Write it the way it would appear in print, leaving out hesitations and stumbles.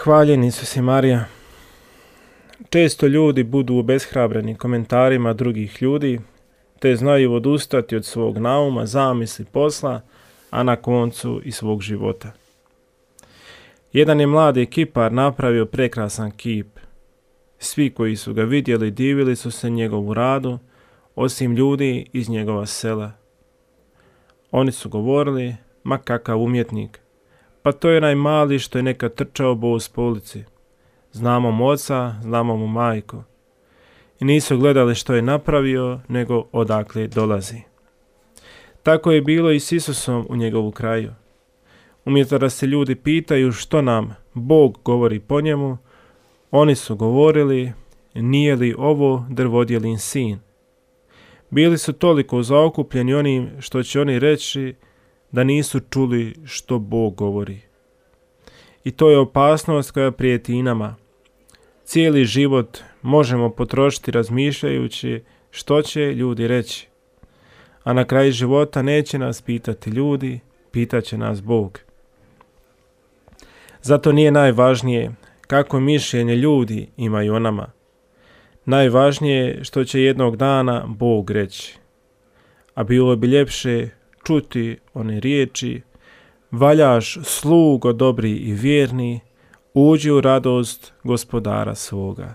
Hvaljen Isus i Marija. Često ljudi budu obeshrabreni komentarima drugih ljudi, te znaju odustati od svog nauma, zamisli, posla, a na koncu i svog života. Jedan je mladi kipar napravio prekrasan kip. Svi koji su ga vidjeli divili su se njegovu radu, osim ljudi iz njegova sela. Oni su govorili, ma kakav umjetnik, pa to je onaj mali što je nekad trčao bos po ulici. Znamo mu oca, znamo mu majku. I nisu gledali što je napravio, nego odakle dolazi. Tako je bilo i s Isusom u njegovu kraju. Umjesto da se ljudi pitaju što nam Bog govori po njemu, oni su govorili, nije li ovo drvodjelin sin. Bili su toliko zaokupljeni onim što će oni reći da nisu čuli što Bog govori. I to je opasnost koja prijeti i nama. Cijeli život možemo potrošiti razmišljajući što će ljudi reći. A na kraju života neće nas pitati ljudi, pitat će nas Bog. Zato nije najvažnije kako mišljenje ljudi imaju o nama. Najvažnije je što će jednog dana Bog reći. A bilo bi ljepše čuti one riječi: valjaš slugo dobri i vjerni, uđi u radost gospodara svoga.